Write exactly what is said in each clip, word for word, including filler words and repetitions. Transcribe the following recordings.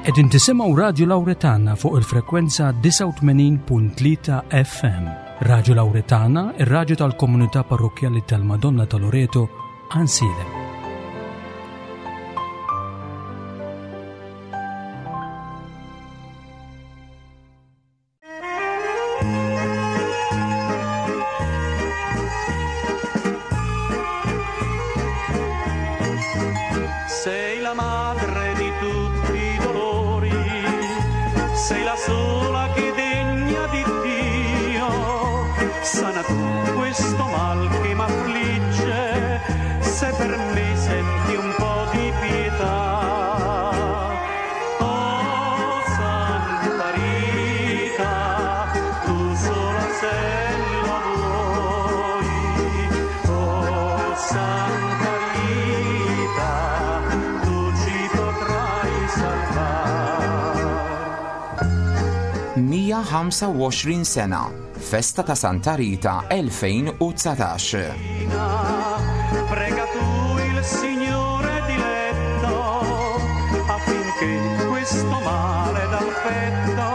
Qegħdin tisimgħu Radju Lawretana fuq il-frekwenza disgħa u tmenin punt tlieta F M. Radju Lawretana, ir-radju tal-Komunità Parrokkjali tal-Madonna ta' Loreto, Għajnsielem. Sei la madre di tutti i dolori, sei la sola che degna di Dio. Sana tu questo mal che m'affligge, se per me senti un po' di pietà. Oh Santa Rita, tu sola se lo vuoi. Oh Santa Rita, tu ci potrai salvar. mija u ħamsa u għoxrin sena, Festa ta' Santa Rita elfejn u dsatax. Prega tu il Signore diletto affinché questo male dal petto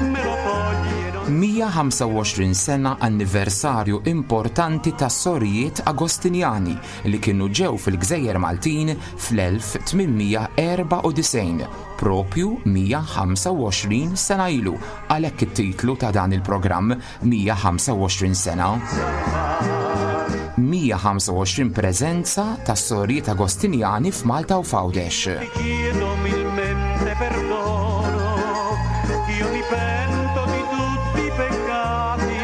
me lo togli e non mija u ħamsa u għoxrin sena, anniversarju importanti ta' sorijiet Agostinjani li kienu ġew fil-Gżejjer Maltin fl-elf tmien mija erbgħa u disgħin, propju mija u ħamsa u għoxrin sena ilu, għalhekk it-titlu ta' dan il-programm mija u ħamsa u għoxrin sena. mija u ħamsa u għoxrin preżenza ta' sorijiet Agostinjani f'Malta u f'Għawdex. Ti chiedo umilmente perdono, io mi pento di tutti i peccati,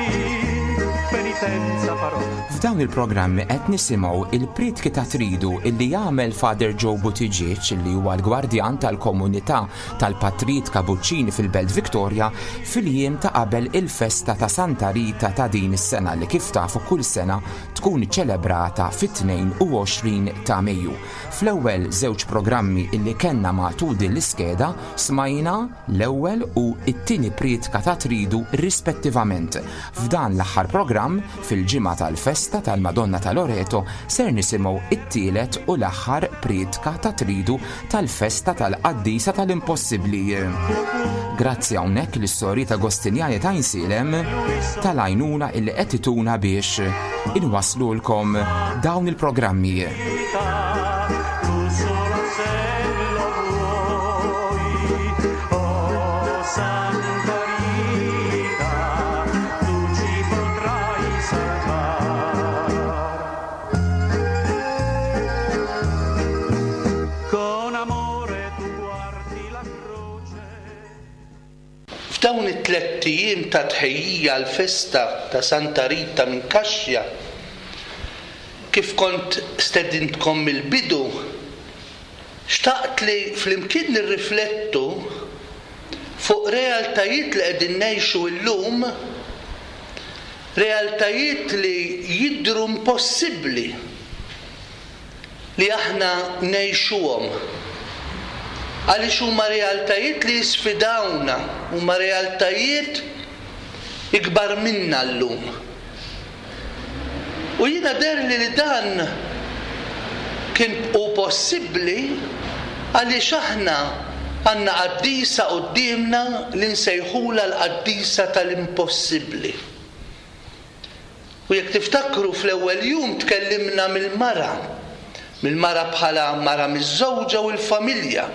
penitenza farò. F'dawn il-programmi qed nisimgħu il-prietki ta' Tridu illi jagħmel Father Joe Buttigieg, li huwa l-gwardjan tal-komunità tal-Patrijiet Kabuċċini fil-Belt Victoria, fil-jiem ta' qabel il-festa ta' Santa Rita ta' din is-sena, li kif tafu kull sena tkun ċelebrata fit-tnejn u għoxrin ta' Mejju. Fl-ewwel żewġ programmi illi kellna matul din l-iskeda smajna l-ewwel u it-tieni prietka ta' Tridu rispettivament. F'dan l-aħħar programm, fil-ġimgħa tal-festa tal-Madonna ta' Loreto, ser nisimgħu it-tielet u l-aħħar prietka ta' Tridu tal-festa tal-Qaddisa tal-Impossibbli. Grazzi hawnhekk lis-sorijiet Agostinjani ta' Għajnsielem tal-għajnuna illi qed ituna biex inwaslulkom dawn il-programmi. Tu sola se lo vuoi, oh Santa Rita, tu ci potrai salvar. Con amore tu guardi la croce. F'dawn it-tlett ijiem ta' tħejjija l-festa ta' Santa Rita minn Kaxja, kif kont stedintkom mill-bidu, xtaqt li flimkien nirriflettu fuq realtajiet li qegħdin ngħixu llum, realtajiet li jidhru impossibbli li aħna ngħixuhom. Għaliex huma realtajiet li jisfidawna, huma realtajiet ikbar minna llum. U jiena deherli li dan kien hu possibbli għaliex aħna għandna qaddisa quddiemna li nsejħula l-qaddisa tal-impossibbli. U jekk tiftakru, fl-ewwel jum tkellimna mill-mara, mill-mara bħala mara miżżewġa u l-familja.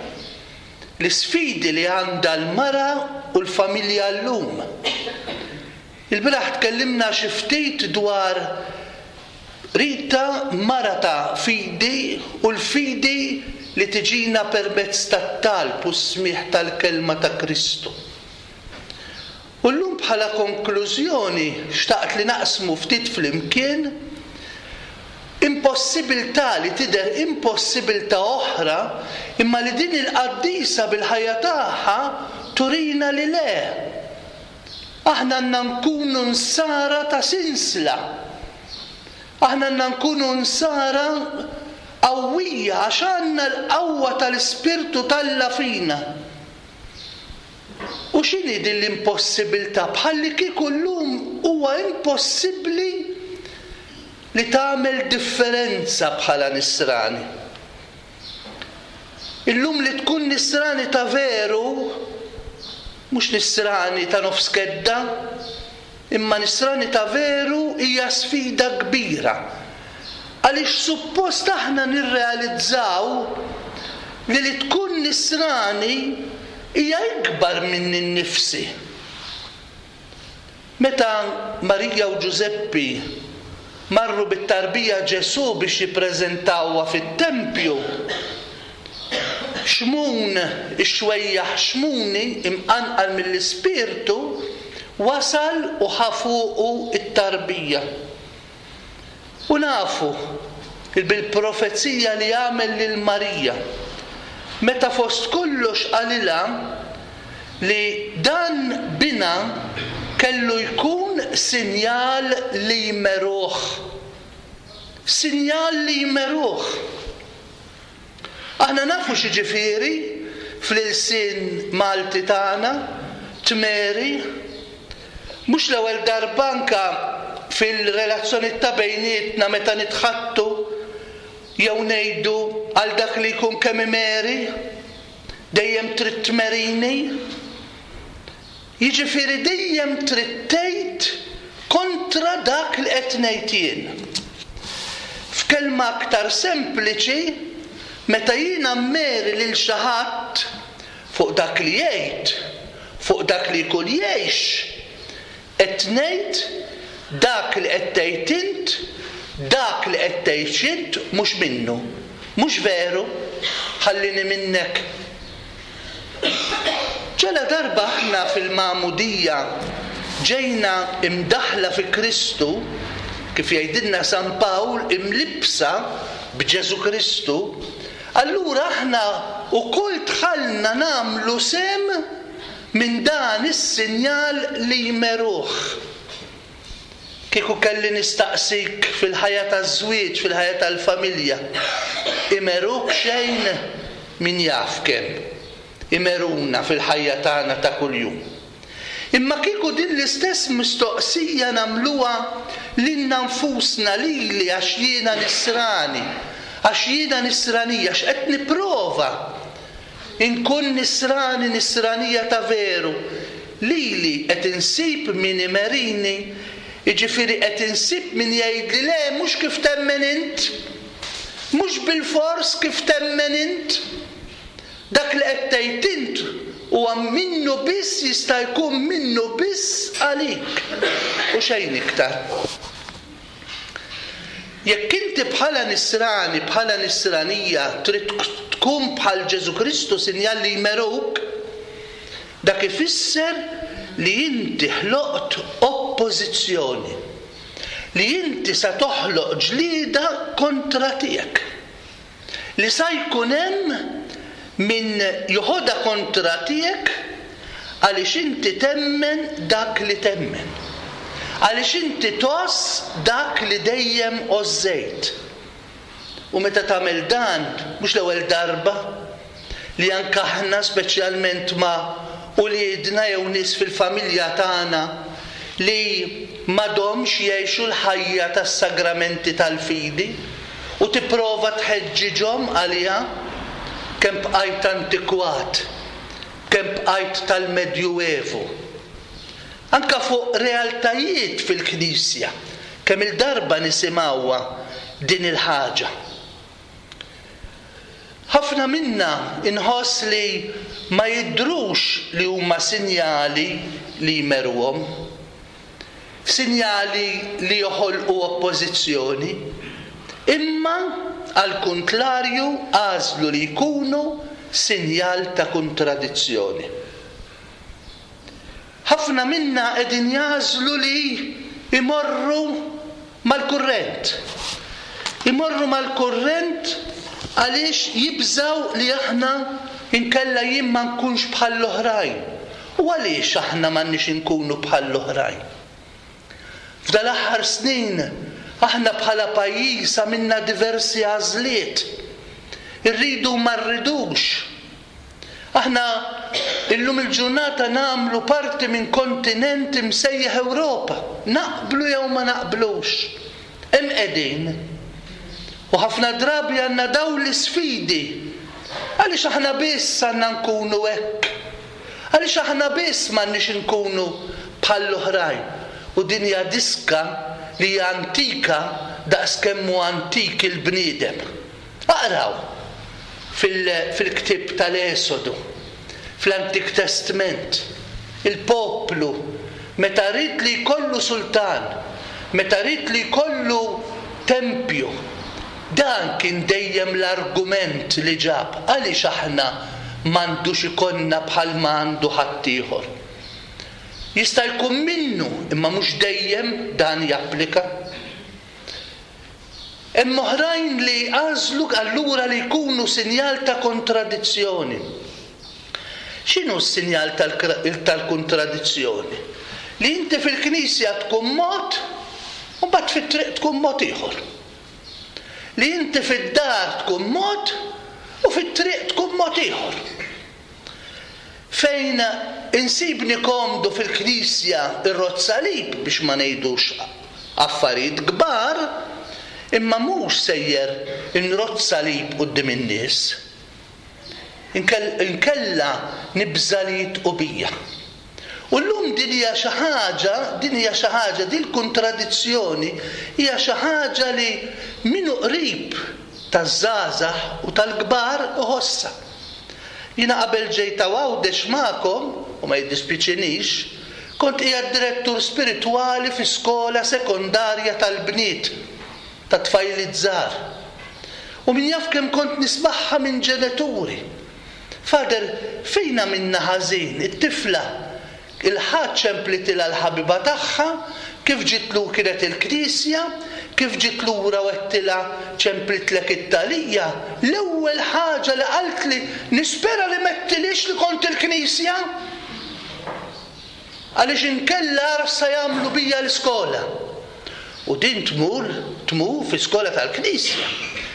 L-isfidi li għandha l-mara u l-familja llum. Il-bieraħ tkellimna xi ftit dwar Rita, mara ta' fidi, u l-fidi li tiġina permezz tat-talb u smigħ tal-kelma ta' Kristu. U llum bħala konklużjoni xtaqt li naqsmu ftit flimkien impossibilità li tidher impossibilità oħra, imma li din il-qaddisa bil-ħajja tagħha turina li le. Aħna għandna nkunu nsara ta' sinsla. Aħna għandna nkunu nsara qawwija għax għandna l-qawwa tal-Ispirtu t'Alla fina. U x'inhi din l-impossibilità? Bħalli kieku llum huwa impossibbli li tagħmel differenza bħala nisrani. Illum li tkun nisrani ta' veru, mhux nisrani ta' nofs kedda, imma nisrani ta' veru hija sfida kbira. Għaliex suppost aħna nirrealizzaw li li tkun nisrani hija ikbar minni nnifsi. Meta Marija u Ġużeppi marru bit-tarbija Ġesù biex jippreżentawha fit-tempju, Xmun, ix-xwejjaħ Xmuni, imqanqal mill-Ispirtu, wasal u ħa fuqu t-tarbija. U nafu bil-profezija li għamel lil Marija, meta fost kollox qalilha li dan binha kellu jkun sinjal li jmeruh. Sinjal li jmeruh. Aħna nafu x'jiġifieri fl-ilsien Malti tagħna, tmeri. Mhux l-ewwel darba anke fil-relazzjoni ta' bejnietna meta nitħattu jew ngħidu għal dak li jkun kemm imeri, dejjem trid tmerini. Jiġifieri dejjem trid tgħid kontra dak li qed ngħid jien. F'kelma aktar sempliċi, meta jiena mmeri lil xi ħadd fuq dak li jgħid, fuq dak li jkun jgħix, qed ngħid dak li qed tgħid int, dak li qed tgħix int mhux minnu. Mhux veru, ħallini minnek. Ġala darba aħna fil-magħmudija ġejna imdaħla fi Kristu, kif jgħidilna San Pawl, imlibsa b'Ġesu Kristu, allura aħna wkoll dħalna nagħmlu sehem minn dan is-sinjal li jmeruh. Kieku kelli nistaqsik fil-ħajja taż-żwieġ, fil-ħajja tal-familja, imeruk xejn? Min jaf kemm imeruna fil-ħajja tagħna ta' kuljum. Imma kieku din l-istess mistoqsija nagħmluha lilna nfusna, lili għax jiena nisrani, għax jiena nisranija, għax qed nipprova inkun nisrani, nisranija ta' veru, lili qed insib min imerini, jiġifieri qed insib min jgħidli le, mhux kif temmen int, mhux bilfors kif temmen int. Dak li qed tgħid int huwa minnu biss, jista' jkun minnu biss għalik u xejn iktar. Jekk inti bħala nisrani, bħala nisranija trid tkun bħal Ġesu Kristu sinjal li jmeruk, dak ifisser li inti ħloqt oppożizzjoni, li inti sa toħloq ġlieda kontra tiegħek, li sa jkun hemm min joħodha kontra tiegħek għaliex inti temmen dak li temmen, għaliex inti tgħożż dak li dejjem għożżejt. U meta tagħmel dan, mhux l-ewwel darba li anke aħna speċjalment ma' uliedna jew nies fil-familja tagħna li m'għadhomx jgħixu l-ħajja tas-sagramenti tal-fidi u tipprova tħeġġiġhom għaliha, kemm bqajt antikwat, kemm bqajt tal-Medjuevu. Anka fuq realtajiet fil-Knisja, kemm il-darba nisimgħuha din il-ħaġa. Ħafna minna inħoss li ma jidhrux li huma sinjali li jmeruhom, sinjali li joħolqu oppożizzjoni, imma għal kontlarju għażlu li jkunu sinjal ta' kontradizzjoni. Ħafna minna qegħdin jagħżlu li imorru mal-kurrent. Imorru mal-kurrent għaliex jibżaw li aħna inkella jien ma nkunx bħall-oħrajn. U għaliex aħna m'għandniex inkunu bħall-oħrajn? F'dal-aħħar snin aħna bħala pajjiż għamilna diversi għażliet. Irridu ma rridux. Aħna illum il-ġurnata nagħmlu parti minn kontinent imsejjaħ Ewropa. Naqblu jew ma naqblux. Hemm qegħdin. U ħafna drabi għandna dawn l-isfidi Għaliex aħna biss għandna nkunu hekk? Għaliex aħna biss m'għandniex inkunu bħall-oħrajn? U din hija diska li hija antika daqs kemm hu antik il-bniedem. Aqraw fil-ktieb tal-Esodu, fl-Antik Testament, il-poplu meta ried li jkollu sultan, meta ried li jkollu tempju, dan kien dejjem l-argument li ġab, għaliex aħna m'għandux ikollna bħal ma għandu ħaddieħor. Jista' jkun minnu, imma mhux dejjem dan japplika. Hemm oħrajn li għażlu allura li jkunu sinjal ta' kontradizzjoni. X'inhu s-sinjal tal-kontradizzjoni? Li inti fil-knisja tkun mod u mbagħad fit-triq tkun mod ieħor. Li inti fid-dar tkun mod u fit-triq tkun mod ieħor. Fejn insibni komdu fil-knisja irrodd salib biex ma ngħidux affarijiet kbar, imma mhux sejjer inrodd salib quddiem in-nies. Inkella nibża' li jitqu bija. U llum din hija xi ħaġa, din hija xi ħaġa, din il-kontradizzjoni hija xi ħaġa li min hu qrib taż-żgħażagħ u tal-kbar iħossha. Jiena qabel ġejt Għawdex magħkom, u ma jiddispjaċinix, kont qiegħed direttur spiritwali fi skola sekondarja tal-bniet, ta' tfajliet żgħar. U min jaf kemm kont nismagħha minn ġenituri. Father, fejn għamilna ħażin, it-tifla il-Ħadd ċemplitilha l-ħabiba tagħha, kif ġiet lu kienet il-knisja, kif ġiet lura u għedtilha ċemplitlek it-talija, l-ewwel ħaġa li qaltli nispera li m'għedtilhiex li kont il-knisja. Għaliex inkella ara x'sa jagħmlu bija l-iskola. U din tmur, tmur fi skola tal-knisja.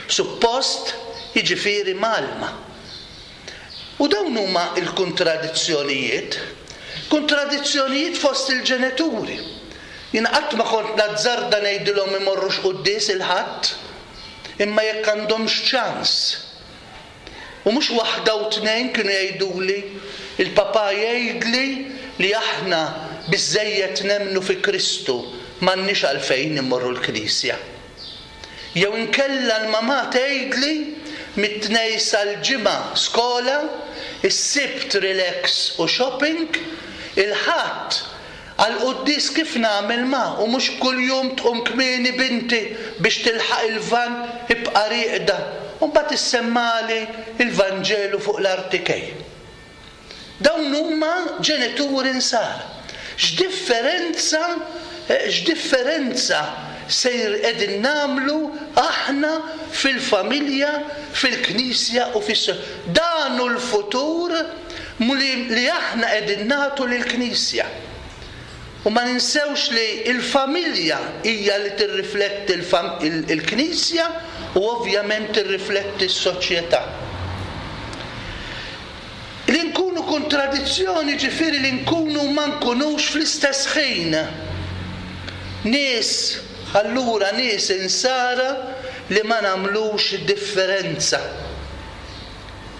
Suppost jiġifieri mgħallma. U dawn huma l-kontradizzjonijiet. Kontradizzjonijiet fost il-ġenituri. Jien qatt ma kont nazzarda ngħidilhom imorrux quddies il-Ħadd, imma jekk għandhomx ċans. U mhux waħda u tnejn kienu jgħiduli, il-papà jgħidli li aħna biżżejjed nemmnu fi Kristu, m'għandniex għalfejn immorru l-knisja. Jew inkella l-mamà tgħidli mit-Tnejn sal-Ġimgħa skola, is-Sibt relax u shopping, il-Ħadd għall-quddies kif nagħmel ma, u mhux kuljum tqum kmieni binti biex tilħaq il-van, ibqa' rieqda, u mbagħad issemmali il-Vanġelu fuq l-artikej. Dawn huma ġenituri nsara. X'differenza, x'differenza sejr qegħdin nagħmlu aħna fil-familja, fil-knisja u fis-. Dan hu l-futur li aħna qegħdin nagħtu lill-knisja. U ma ninsewx li l-familja hija li tirrifletti il-knisja u ovvjament tirrifletti s-soċjetà. Li nkunu kontradizzjoni ġifieri li nkunu ma nkunux fl-istess ħin. Nies, allura nies insara li ma nagħmlux differenza.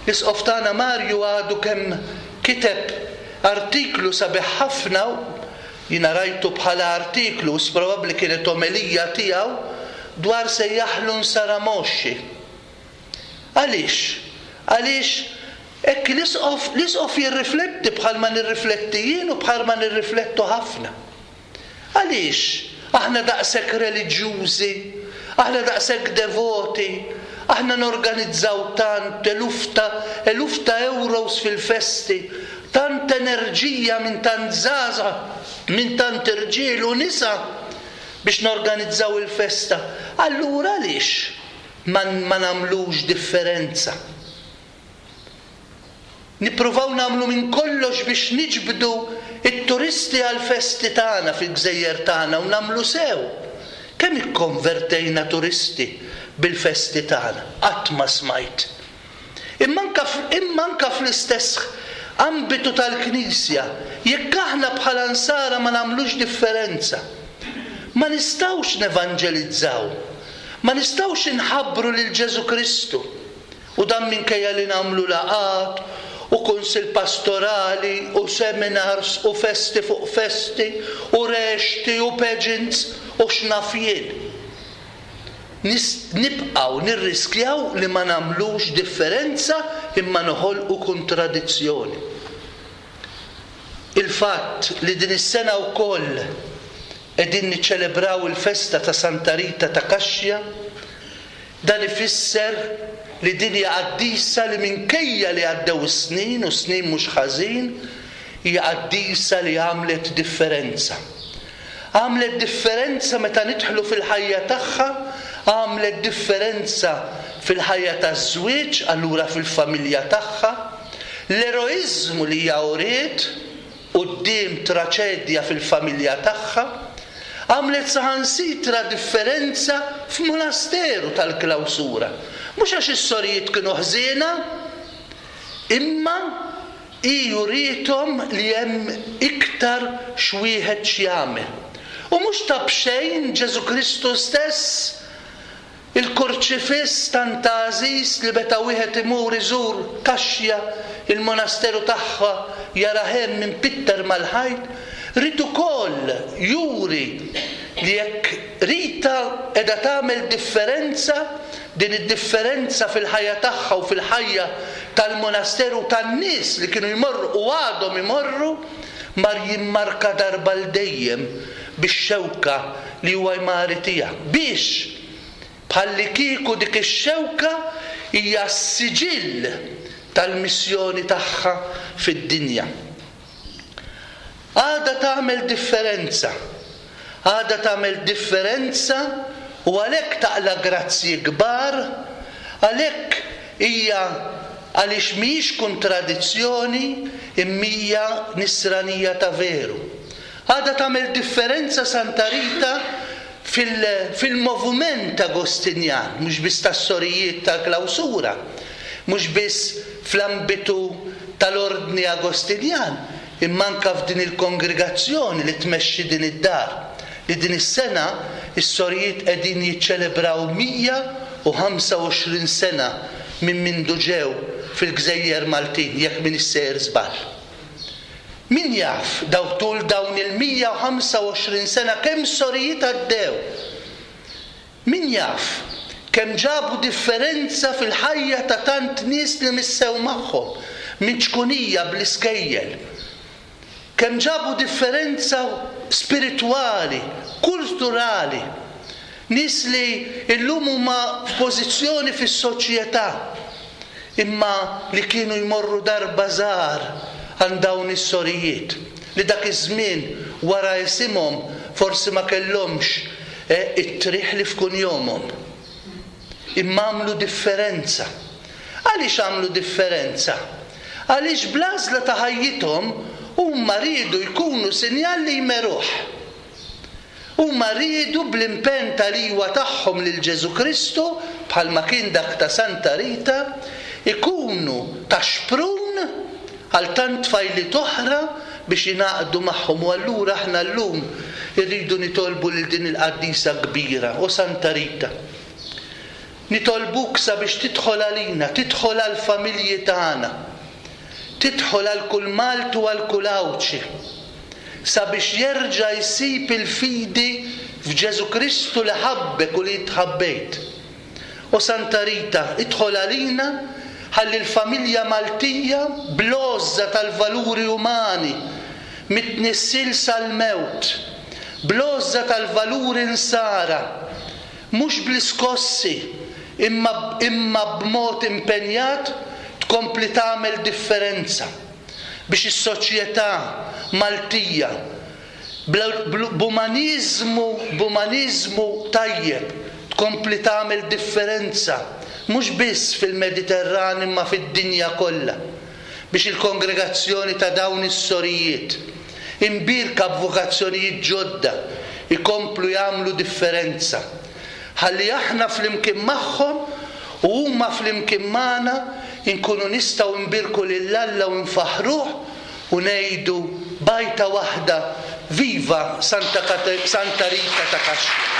L-Isqof tagħna Mario għadu kemm kiteb artiklu sabiħ ħafna, jiena rajtu bħala artiklu, probabbli kienet omelija tiegħu, dwar sejjaħlu nsara moxxi. Għaliex? Għaliex hekk l-Isqof, l-Isqof jirrifletti bħalma nirrifletti jien u bħalma nirriflettu ħafna. Għaliex aħna daqshekk reliġjużi, aħna daqshekk devoti, aħna norganizzaw tant eluf ta' eluf ta' euros fil-festi, tant enerġija minn tant żgħażagħ, minn tant irġiel u nisa biex norganizzaw il-festa. Allura għaliex ma, ma nagħmlux differenza? Nippruvaw nagħmlu minn kollox biex niġbdu it-turisti għal-festi tagħna fil-gżejjer tagħna u nagħmlu sew. Kemm ikkonvertejna turisti bil-festi tagħna? Qatt ma smajt. Imma anka imma anka fl-istess ambitu tal-Knisja, jekk aħna bħala nsara ma nagħmlux differenza, ma nistgħux nevanġelizzaw, ma nistgħux inħabbru lil Ġesù Kristu. U U dan minkejja li nagħmlu laqgħat u kunsill pastorali u seminars u festi fuq festi u rexti u pageants u x'naf jien. Nibqgħu nirriskjaw li ma nagħmlux differenza imma noħolqu kontradizzjoni. Il-fatt li din is-sena wkoll qegħdin niċċelebraw il-festa ta' Santa Rita ta' Kaxja, dan ifisser li din hija qaddisa li minkejja li għaddew is-snin u snin mhux ħażin, hija qaddisa li għamlet differenza. Għamlet differenza meta nidħlu fil-ħajja tagħha, għamlet differenza fil-ħajja taż-żwieġ, allura fil-familja tagħha, l-eroiżmu li hija uriet quddiem traċedja fil-familja tagħha, għamlet saħansitra differenza f'monasteru tal-klawsura. Mhux għax is-sorijiet kienu ħżiena, imma hi uriethom li hemm iktar x'wieħed x'jagħmel. U mhux ta' b'xejn Ġesù Kristu stess, il-kurċifiss tant għażiż li meta wieħed imur iżur Kaxja, il-monasteru tagħha jara hemm impitter mal-ħajt, rid ukoll juri li jekk Rita qiegħda tagħmel differenza, din id-differenza fil-ħajja tagħha u fil-ħajja tal-monasteru tan-nies li kienu jmorru u għadhom imorru, mar jimmarka darba l dejjem bix-xewka li huwa jmari tiegħek. Biex bħalli kieku dik ix-xewka hija s-siġill tal-missjoni tagħha fid-dinja. Għada tagħmel differenza. Għada tagħmel differenza u għalhekk taqla grazzji kbar, għalhekk hija għaliex mhijiex kontradizzjoni imma nisranija ta' veru. Għada tagħmel differenza Santa Rita fil-moviment Agostinjan, mhux biss tas-sorijiet tal-klawsura, mhux biss fl-ambitu tal-ordni Agostinjan, imma anke f'din il-kongregazzjoni li tmexxi din id-dar, li din is-sena is-sorijiet qegħdin jiċċelebraw mija u ħamsa u għoxrin sena minn mindu ġew fil-Gżejjer Maltin, jekk min issejjer żball. Min jaf daw tul dawn il-mija u ħamsa u għoxrin sena kemm sorijiet għaddew? Min jaf kemm ġabu differenza fil-ħajja ta' tant nies li missew magħhom minn ċkunija bl-iskejjel? Kemm ġabu differenza spiritwali, kulturali, nies li llum huma f'pożizzjoni fis-soċjetà, imma li kienu jmorru darba żgħar għand dawn is-sorijiet, li dak iż-żmien wara isimhom forsi ma kellhomx it-triħ li f'kun jomhom. Imma għamlu differenza. Għaliex għamlu differenza? Għaliex bl-għażla ta' ħajjithom huma riedu jkunu sinjal li jmeruh. Huma riedu bl-impenn tal-iwa tagħhom lil Ġesù Kristu, bħalma kien dak ta' Santa Rita, ikunu ta' xprun għal tant tfajliet oħra biex jingħaqdu magħhom. U allura aħna llum irridu nitolbu lil din il-qaddisa kbira, o Santa Rita. Nitolbuk sabiex tidħol għalina, tidħol għall-familji tagħna, tidħol għal kull Malti u għal kull Għawdxi, sabiex jerġa' jsib il-fidi f'Ġesù Kristu li ħabbek u li tħabbejt. O Santa Rita, idħol għalina ħalli l-familja Maltija bl-għożża tal-valuri umani mit-tnissil sal-mewt, bl-għożża tal-valuri nsara, mhux bl-iskossi imma, imma b'mod impenjat tkompli tagħmel differenza biex is-soċjetà Maltija b'umaniżmu, b'umaniżmu tajjeb tkompli tagħmel differenza mhux biss fil-Mediterran imma fid-dinja kollha, biex il-kongregazzjoni ta' dawn is-sorijiet imbierka b'vokazzjonijiet ġodda ikomplu jagħmlu differenza. Ħalli aħna flimkien magħhom u huma flimkien magħna inkunu nistgħu nbierku lil Alla u nfaħruh u ngħidu bajta waħda: Viva Santa Santa Rita ta' Kaxja.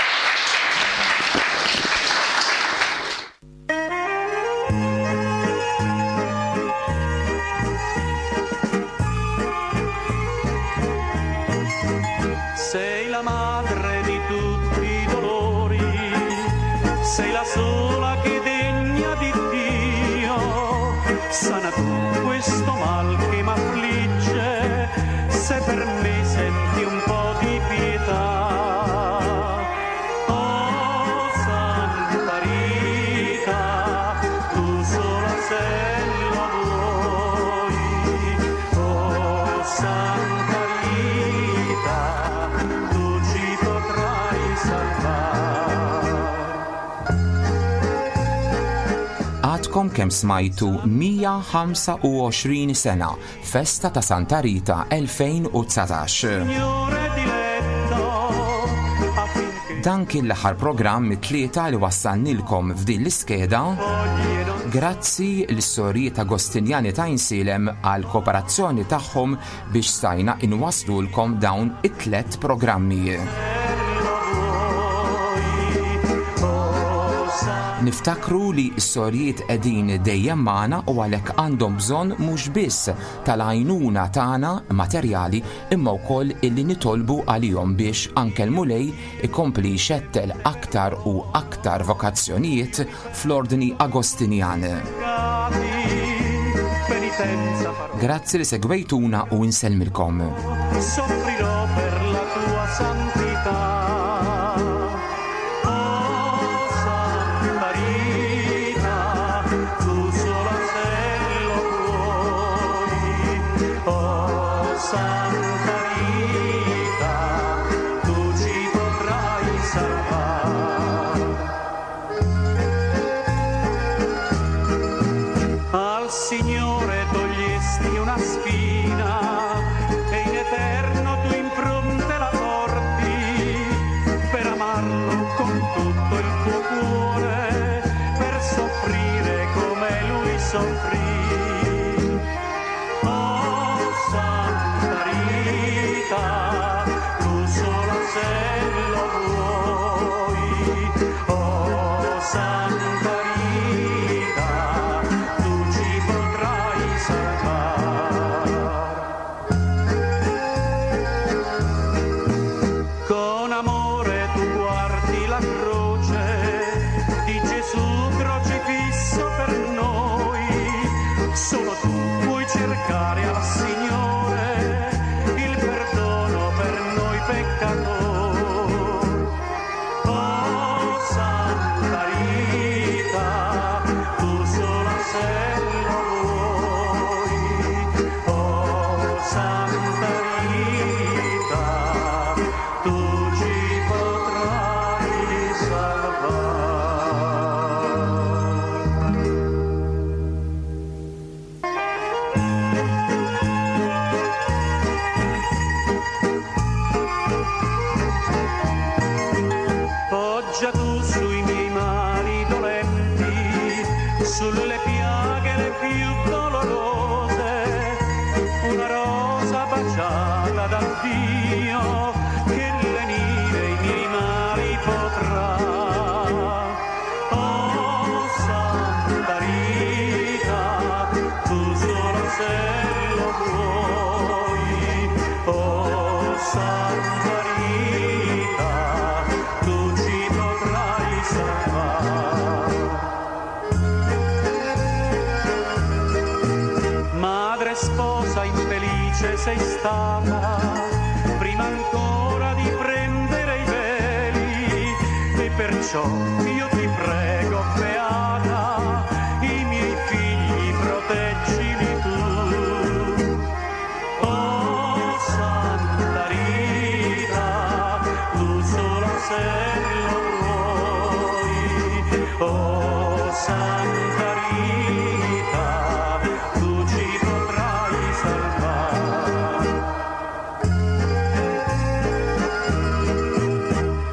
Sana tu questo mal che m'affligge, se per me senti un po' di pietà. Oh Santa Rita, tu sola se lo vuoi. Oh Santa Rita, tu ci potrai salvar. Għadkom kemm smajtu mija ħamsa u għoxrin sena, festa ta' Santa Rita elfejn u dsatax. Signore diletto, affinché Dan kien l-aħħar programm mit-tlieta li wassalnilkom f'din l-iskeda. Grazzi l-sorijiet Agostinjani ta' Għajnsielem għal kooperazzjoni tagħhom biex stajna inwaslulkom dawn it-tlet programmi. Niftakru li s-sorijiet qegħdin dejjem magħna u għalhekk għandhom bżonn mhux biss tal-għajnuna tagħna materjali imma wkoll illi nitolbu għalihom biex anke l-Mulej ikompli jxettel aktar u aktar vokazzjonijiet fl-ordni Agostinjan. Grazzi li segwejtuna u nsellmilkom. Soffrirò per la tua santità. Oh Santa Rita, tu sola se lo vuoi. Oh Santa Rita, tu ci potrai salvar. Al Signore togliesti una spina e in eterno tu impronte la porti per amarlo con tutto il tuo cuore, per soffrire come lui soffrì. Oh Santa Rita, tu sola se lo vuoi. Oh Santa Rita, tu ci potrai salvar. Con amore tu guardi la croce di Gesù crocifisso per noi. Solo tu puoi cercare al Signore il perdono per noi peccatori. Oh Santa Rita, tu sola se lo vuoi. Oh Santa Rita, tu ci potrai salvar. Poggia tu sui miei mali dolenti, sulle piaghe le più dolorose, una rosa baciata da Dio che lenire i miei mali potrà. Oh Santa Rita, tu sola se lo vuoi. Oh Santa Rita, tu ci potrai salvar. Madre sposa infelice sei stata, prima ancora di prendere i veli, e perciò io ti prego, beata, i miei figli proteggili tu. Oh Santa Rita, tu sola se lo vuoi. Oh Santa Rita, tu ci potrai salvar.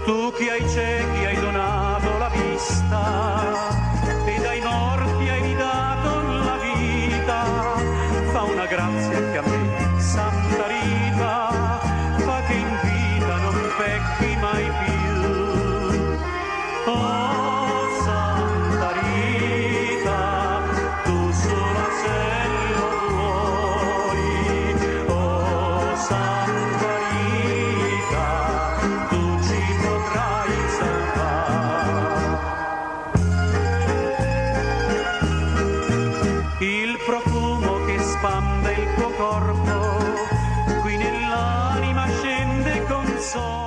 Tu che ai ciechi hai donato la vista, so.